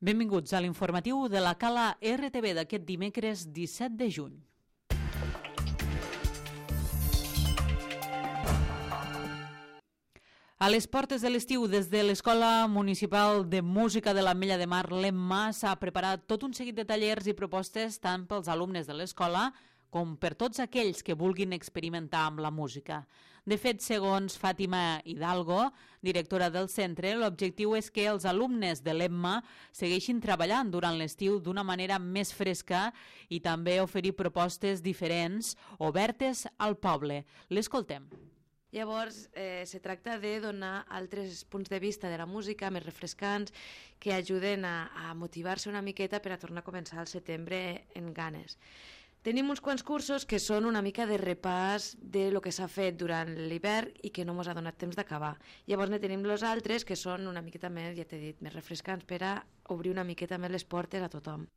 Benvinguts a l'informatiu de la Cala RTV d'aquest dimecres 17 de juny. A les portes de l'estiu, des de l'Escola Municipal de Música de l'Ametlla de Mar, l'EMMA, s'ha preparat tot un seguit de tallers i propostes tant pels alumnes de l'escola com per tots aquells que vulguin experimentar amb la música. De fet, segons Fàtima Hidalgo, directora del centre, l'objectiu és que els alumnes de l'EMMA segueixin treballant durant l'estiu d'una manera més fresca i també oferir propostes diferents, obertes al poble. L'escoltem. Llavors, se tracta de donar altres punts de vista de la música més refrescants que ajuden a motivar-se una miqueta per a tornar a començar el setembre en ganes. Tenim uns quants cursos que són una mica de repàs de lo que s'ha fet durant l'hivern i que no ens ha donat temps d'acabar. Llavors ne tenim els altres que són una miqueta més, ja t'he dit, més refrescants per a obrir una miqueta més les portes a tothom.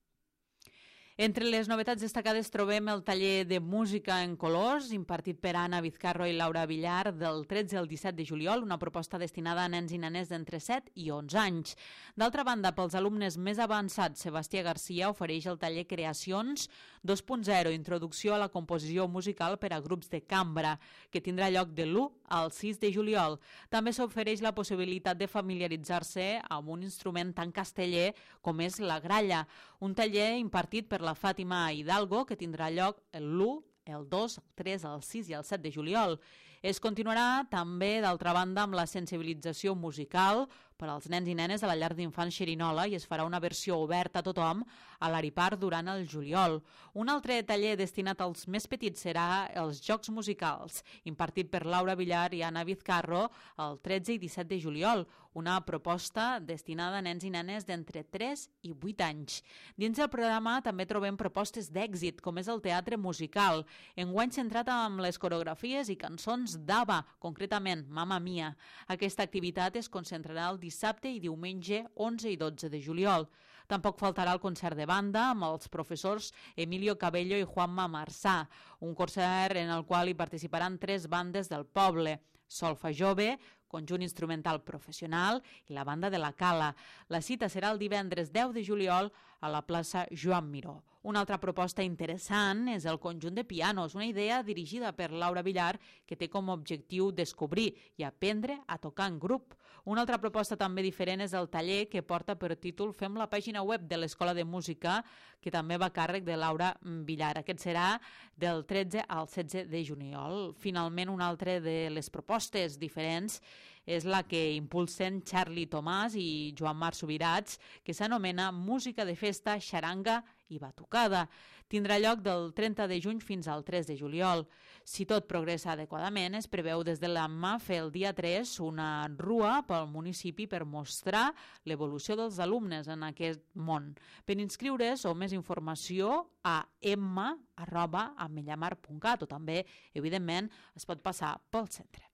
Entre les novetats destacades trobem el taller de música en colors impartit per Anna Vizcarro i Laura Villar del 13 al 17 de juliol, una proposta destinada a nens i nenes d'entre 7 i 11 anys. D'altra banda, pels alumnes més avançats, Sebastià Garcia ofereix el taller Creacions 2.0, introducció a la composició musical per a grups de cambra, que tindrà lloc de l'1 al 6 de juliol. També s'ofereix la possibilitat de familiaritzar-se amb un instrument tan casteller com és la gralla, un taller impartit per la Fàtima Hidalgo, que tindrà lloc l'1, el 2, el 3, el 6 i el 7 de juliol. Es continuarà també, d'altra banda, amb la sensibilització musical per als nens i nenes a la llar d'infants Xerinola i es farà una versió oberta a tothom a l'Aripar durant el juliol. Un altre taller destinat als més petits serà els Jocs Musicals, impartit per Laura Villar i Anna Vizcarro el 13 i 17 de juliol, una proposta destinada a nens i nenes d'entre 3 i 8 anys. Dins del programa també trobem propostes d'èxit, com és el teatre musical, enguany centrat amb les coreografies i cançons d'ABBA, concretament Mamma Mia. Aquesta activitat es concentrarà el dissabte i diumenge 11 i 12 de juliol. Tampoc faltarà el concert de banda amb els professors Emilio Cabello i Juanma Marçà, un concert en el qual hi participaran 3 bandes del poble: Solfa Jove, conjunt instrumental professional i la banda de la Cala. La cita serà el divendres 10 de juliol a la plaça Joan Miró. Una altra proposta interessant és el conjunt de pianos, una idea dirigida per Laura Villar que té com a objectiu descobrir i aprendre a tocar en grup. Una altra proposta també diferent és el taller que porta per títol Fem la pàgina web de l'Escola de Música, que també va a càrrec de Laura Villar. Aquest serà del 13 al 16 de juliol. Finalment, una altra de les propostes diferents és la que impulsen Charlie Tomàs i Joan Marc Subirats, que s'anomena Música de Festa, Xaranga i Batucada. Tindrà lloc del 30 de juny fins al 3 de juliol. Si tot progressa adequadament, es preveu des de l'AMMA fer el dia 3 una rua pel municipi per mostrar l'evolució dels alumnes en aquest món. Per inscriure's o més informació a emma@ametllamar.cat o també, evidentment, es pot passar pel centre.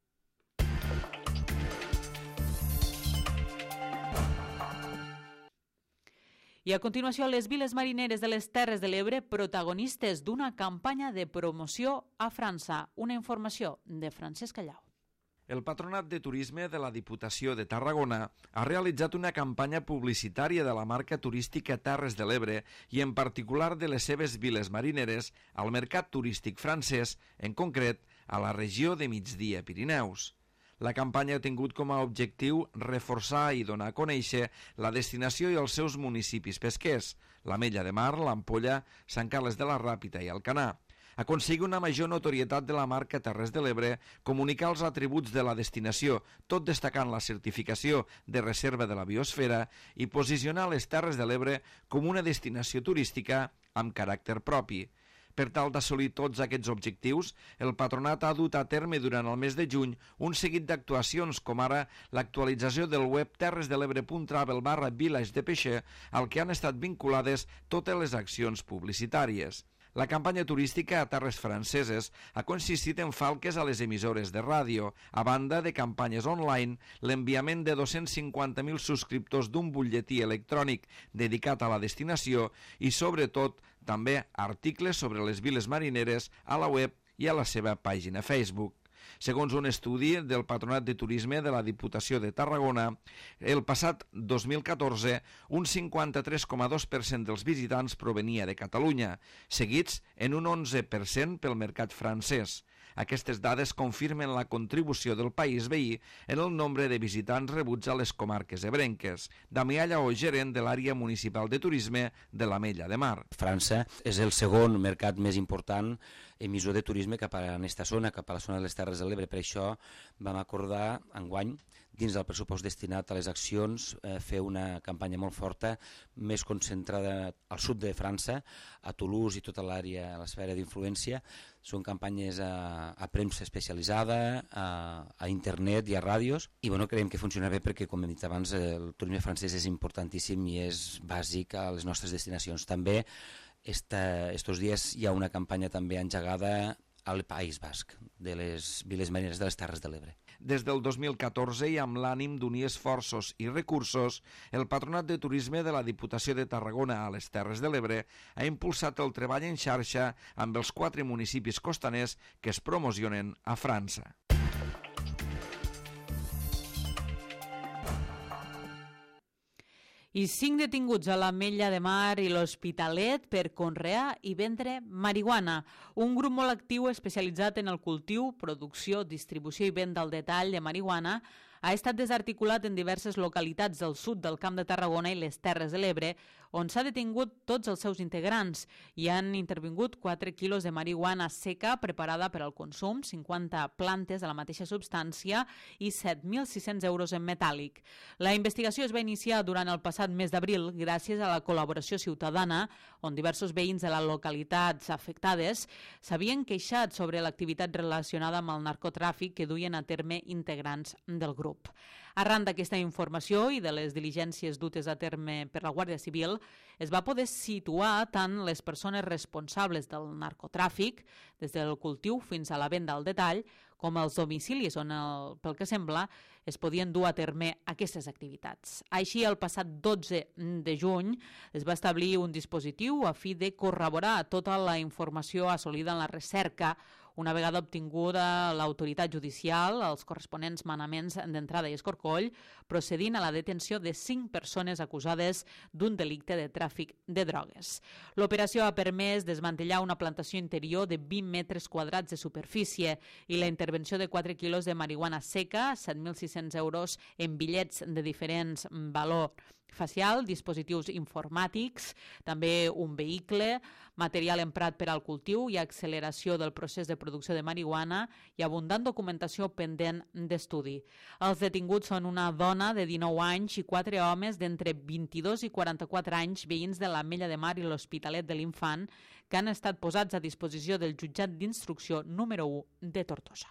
I a continuació, les viles marineres de les Terres de l'Ebre, protagonistes d'una campanya de promoció a França. Una informació de Francesc Callau. El Patronat de Turisme de la Diputació de Tarragona ha realitzat una campanya publicitària de la marca turística Terres de l'Ebre i en particular de les seves viles marineres al mercat turístic francès, en concret a la regió de Migdia Pirineus. La campanya ha tingut com a objectiu reforçar i donar a conèixer la destinació i els seus municipis pesquers, l'Ametlla de Mar, l'Ampolla, Sant Carles de la Ràpita i Alcanar. Aconseguir una major notorietat de la marca Terres de l'Ebre, comunicar els atributs de la destinació, tot destacant la certificació de reserva de la biosfera i posicionar les Terres de l'Ebre com una destinació turística amb caràcter propi. Per tal d'assolir tots aquests objectius, el Patronat ha dut a terme durant el mes de juny un seguit d'actuacions, com ara l'actualització del web terresdelebre.travel/village de Peixer, al que han estat vinculades totes les accions publicitàries. La campanya turística a terres franceses ha consistit en falques a les emissores de ràdio, a banda de campanyes online, l'enviament de 250.000 subscriptors d'un butlletí electrònic dedicat a la destinació i, sobretot, també articles sobre les viles marineres a la web i a la seva pàgina Facebook. Segons un estudi del Patronat de Turisme de la Diputació de Tarragona, el passat 2014 un 53,2% dels visitants provenia de Catalunya, seguits en un 11% pel mercat francès. Aquestes dades confirmen la contribució del país veí en el nombre de visitants rebuts a les comarques ebrenques. Damià Lleó, gerent de l'àrea municipal de turisme de l'Ametlla de Mar. França és el segon mercat més important emissor de turisme cap a aquesta zona, cap a la zona de les Terres de l'Ebre. Per això vam acordar enguany, dins del pressupost destinat a les accions, fer una campanya molt forta, més concentrada al sud de França, a Toulouse i tota l'àrea, a l'esfera d'influència. Són campanyes a premsa especialitzada, a internet i a ràdios, i creiem que funciona bé perquè, com hem dit abans, el turisme francès és importantíssim i és bàsic a les nostres destinacions. També, estos dies hi ha una campanya també engegada al País Basc, de les viles marineres de les Terres de l'Ebre. Des del 2014 i amb l'ànim d'unir esforços i recursos, el Patronat de Turisme de la Diputació de Tarragona a les Terres de l'Ebre ha impulsat el treball en xarxa amb els 4 municipis costaners que es promocionen a França. I 5 detinguts a l'Ametlla de Mar i l'Hospitalet per conrear i vendre marihuana. Un grup molt actiu especialitzat en el cultiu, producció, distribució i venda al detall de marihuana ha estat desarticulat en diverses localitats del sud del Camp de Tarragona i les Terres de l'Ebre, on s'ha detingut tots els seus integrants. Hi han intervingut 4 quilos de marihuana seca preparada per al consum, 50 plantes de la mateixa substància i 7.600 euros en metàl·lic. La investigació es va iniciar durant el passat mes d'abril gràcies a la col·laboració ciutadana, on diversos veïns de les localitats afectades s'havien queixat sobre l'activitat relacionada amb el narcotràfic que duien a terme integrants del grup. Arran d'aquesta informació i de les diligències dutes a terme per la Guàrdia Civil, es va poder situar tant les persones responsables del narcotràfic, des del cultiu fins a la venda al detall, com els domicilis on, pel que sembla, es podien dur a terme aquestes activitats. Així, el passat 12 de juny es va establir un dispositiu a fi de corroborar tota la informació assolida en la recerca una vegada obtinguda l'autoritat judicial, els corresponents manaments d'entrada i escorcoll, procedint a la detenció de 5 persones acusades d'un delicte de tràfic de drogues. L'operació ha permès desmantellar una plantació interior de 20 metres quadrats de superfície i la intervenció de 4 quilos de marihuana seca, 7.600 euros en bitllets de diferents valor facial, dispositius informàtics, també un vehicle, material emprat per al cultiu i acceleració del procés de producció de marihuana i abundant documentació pendent d'estudi. Els detinguts són una dona de 19 anys i 4 homes d'entre 22 i 44 anys, veïns de l'Ametlla de Mar i l'Hospitalet de l'Infant, que han estat posats a disposició del jutjat d'instrucció número 1 de Tortosa.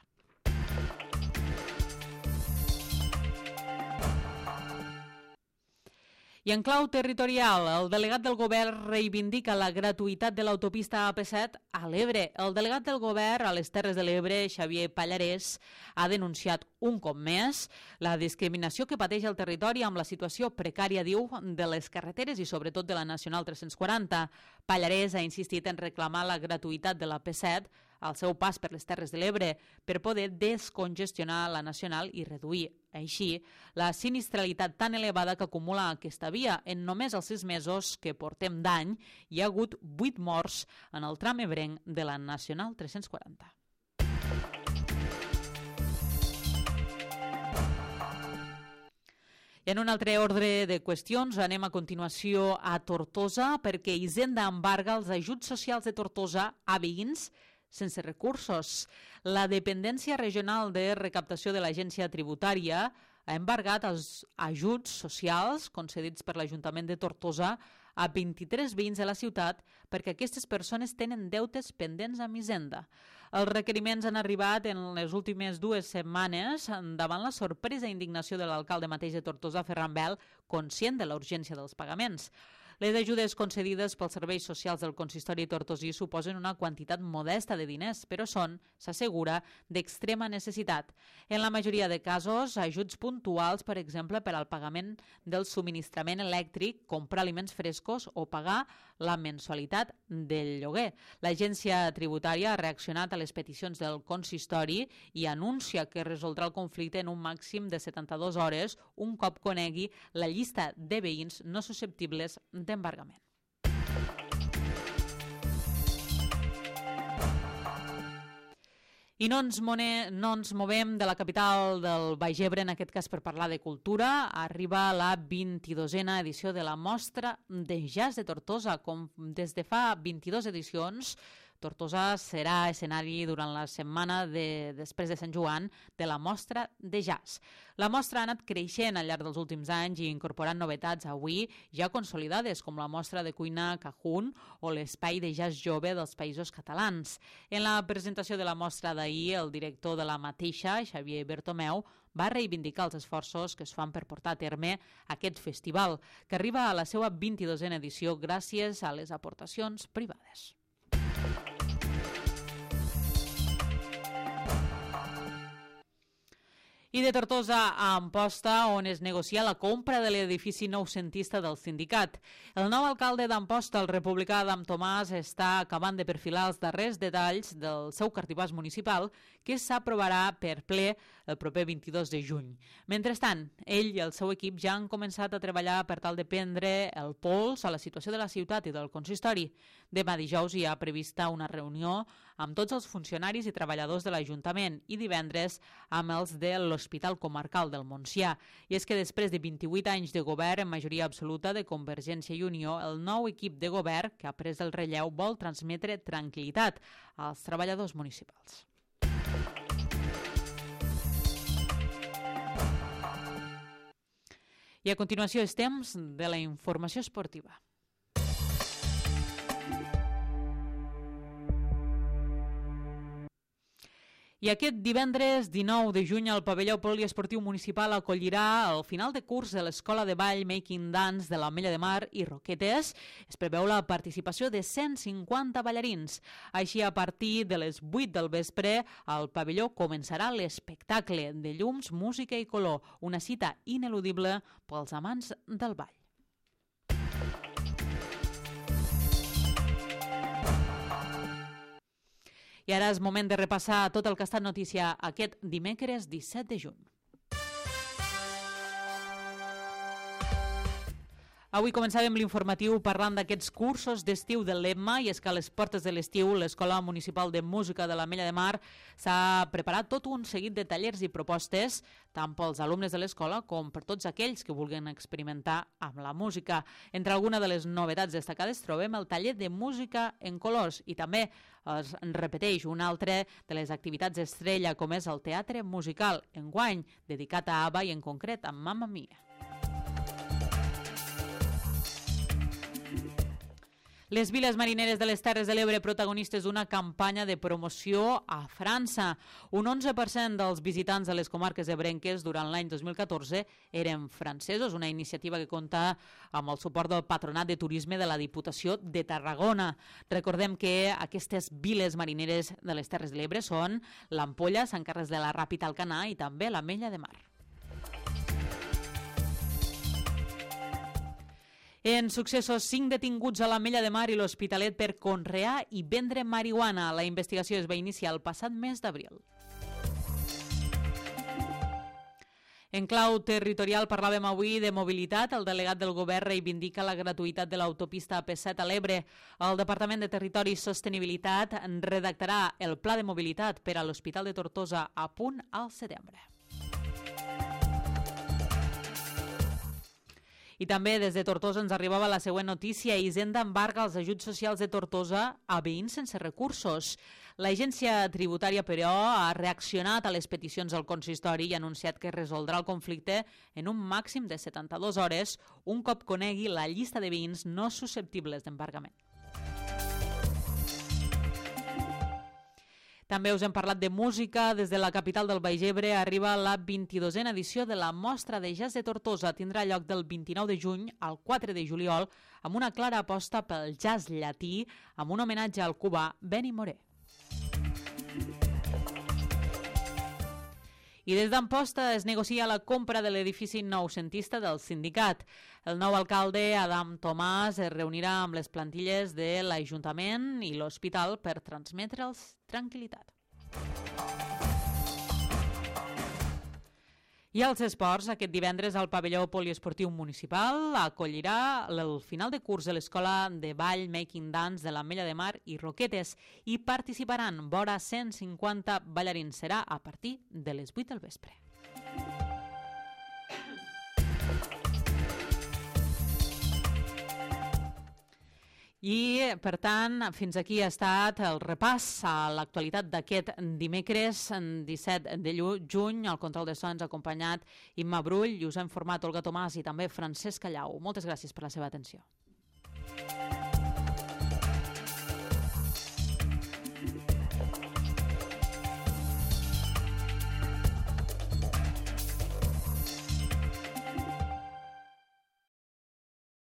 I en clau territorial, el delegat del govern reivindica la gratuïtat de l'autopista AP7 a l'Ebre. El delegat del govern a les Terres de l'Ebre, Xavier Pallarès, ha denunciat un cop més la discriminació que pateix el territori amb la situació precària, diu, de les carreteres i sobretot de la Nacional 340. Pallarès ha insistit en reclamar la gratuïtat de la P7 al seu pas per les Terres de l'Ebre per poder descongestionar la nacional i reduir, així, la sinistralitat tan elevada que acumula aquesta via. En només els 6 mesos que portem d'any hi ha hagut 8 morts en el tram ebrenc de la Nacional 340. I en un altre ordre de qüestions anem a continuació a Tortosa perquè Hisenda embarga els ajuts socials de Tortosa a veïns sense recursos. La Dependència Regional de Recaptació de l'Agència Tributària ha embargat els ajuts socials concedits per l'Ajuntament de Tortosa a 23 veïns de la ciutat perquè aquestes persones tenen deutes pendents amb Hisenda. Els requeriments han arribat en les últimes 2 setmanes davant la sorpresa i indignació de l'alcalde mateix de Tortosa, Ferran Bel, conscient de la urgència dels pagaments. Les ajudes concedides pels serveis socials del consistori tortosí suposen una quantitat modesta de diners, però són, s'assegura, d'extrema necessitat. En la majoria de casos, ajuts puntuals, per exemple, per al pagament del subministrament elèctric, comprar aliments frescos o pagar la mensualitat del lloguer. L'agència tributària ha reaccionat a les peticions del consistori i anuncia que resoldrà el conflicte en un màxim de 72 hores un cop conegui la llista de veïns no susceptibles d'embargament. I no ens movem de la capital del Baix Ebre, en aquest cas per parlar de cultura. Arriba la 22a edició de la Mostra de Jazz de Tortosa. Com des de fa 22 edicions, Tortosa serà escenari durant la setmana després de Sant Joan de la Mostra de Jazz. La mostra ha anat creixent al llarg dels últims anys i incorporant novetats avui ja consolidades, com la mostra de cuina Cajún o l'espai de jazz jove dels Països Catalans. En la presentació de la mostra d'ahir, el director de la mateixa, Xavier Bertomeu, va reivindicar els esforços que es fan per portar a terme aquest festival, que arriba a la seva 22a edició gràcies a les aportacions privades. I de Tortosa a Amposta, on es negocia la compra de l'edifici noucentista del sindicat. El nou alcalde d'Amposta, el republicà Adam Tomàs, està acabant de perfilar els darrers detalls del seu cartipàs municipal, que s'aprovarà per ple el proper 22 de juny. Mentrestant, ell i el seu equip ja han començat a treballar per tal de prendre el pols a la situació de la ciutat i del consistori. Demà dijous hi ha prevista una reunió amb tots els funcionaris i treballadors de l'Ajuntament i divendres amb els de l'Hospital Comarcal del Montsià. I és que després de 28 anys de govern en majoria absoluta de Convergència i Unió, el nou equip de govern que ha pres el relleu vol transmetre tranquil·litat als treballadors municipals. I a continuació és temps de la informació esportiva. I aquest divendres 19 de juny el pavelló poliesportiu municipal acollirà el final de curs de l'Escola de Ball Making Dance de l'Ametlla de Mar i Roquetes. Es preveu la participació de 150 ballarins. Així, a partir de les 8 del vespre, al pavelló començarà l'espectacle de llums, música i color, una cita ineludible pels amants del ball. I ara és moment de repassar tot el que ha estat notícia aquest dimecres 17 de juny. Avui començàvem l'informatiu parlant d'aquests cursos d'estiu del l'EMMA, i és que a les portes de l'estiu l'Escola Municipal de Música de l'Ametlla de Mar s'ha preparat tot un seguit de tallers i propostes, tant pels alumnes de l'escola com per tots aquells que vulguin experimentar amb la música. Entre algunes de les novetats destacades trobem el taller de música en colors i també es repeteix una altra de les activitats estrella, com és el teatre musical, enguany dedicat a ABBA i en concret a Mamma Mia. Les viles marineres de les Terres de l'Ebre, protagonistes d'una campanya de promoció a França. Un 11% dels visitants de les comarques ebrenques durant l'any 2014 eren francesos, una iniciativa que compta amb el suport del Patronat de Turisme de la Diputació de Tarragona. Recordem que aquestes viles marineres de les Terres de l'Ebre són l'Ampolla, Sant Carles de la Ràpita, Alcanar i també l'Ametlla de Mar. En successos, 5 detinguts a l'Ametlla de Mar i l'Hospitalet per conrear i vendre marihuana. La investigació es va iniciar el passat mes d'abril. En clau territorial parlàvem avui de mobilitat. El delegat del govern reivindica la gratuïtat de l'autopista AP7 a l'Ebre. El Departament de Territori i Sostenibilitat redactarà el pla de mobilitat per a l'Hospital de Tortosa a punt al setembre. I també des de Tortosa ens arribava la següent notícia. Hisenda embarga els ajuts socials de Tortosa a veïns sense recursos. L'agència tributària, però, ha reaccionat a les peticions del consistori i ha anunciat que resoldrà el conflicte en un màxim de 72 hores, un cop conegui la llista de veïns no susceptibles d'embargament. També us hem parlat de música. Des de la capital del Baix Ebre arriba la 22a edició de la Mostra de Jazz de Tortosa. Tindrà lloc del 29 de juny al 4 de juliol amb una clara aposta pel jazz llatí amb un homenatge al cubà Benny Moré. I des d'Amposta es negocia la compra de l'edifici noucentista del sindicat. El nou alcalde, Adam Tomàs, es reunirà amb les plantilles de l'Ajuntament i l'Hospital per transmetre'ls tranquil·litat. I als esports, aquest divendres al pavelló poliesportiu municipal acollirà el final de curs de l'Escola de Ball Making Dance de l'Ametlla de Mar i Roquetes i participaran vora 150 ballarins. Serà a partir de les 8 del vespre. I, per tant, fins aquí ha estat el repàs a l'actualitat d'aquest dimecres 17 de juny. Al control de so ens ha acompanyat Imma Brull i us ha informat Olga Tomàs i també Francesc Callau. Moltes gràcies per la seva atenció.